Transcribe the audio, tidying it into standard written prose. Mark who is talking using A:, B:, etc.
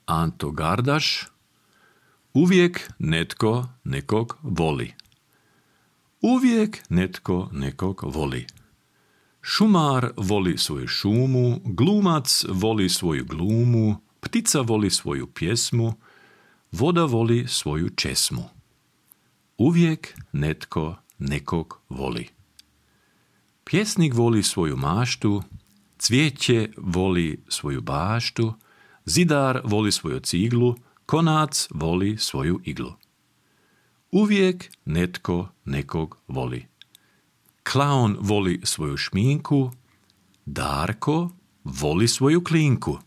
A: Anto Gardaš, uvijek netko nekog voli. Uvijek netko nekog voli. Šumar voli svoju šumu, glumac voli svoju glumu, ptica voli svoju pjesmu, voda voli svoju česmu. Uvijek netko nekog voli. Pjesnik voli svoju maštu, cvijeće voli svoju baštu, zidar voli svoju ciglu, konac voli svoju iglu. Uvijek netko nekog voli. Klaun voli svoju šminku, Darko voli svoju klinku.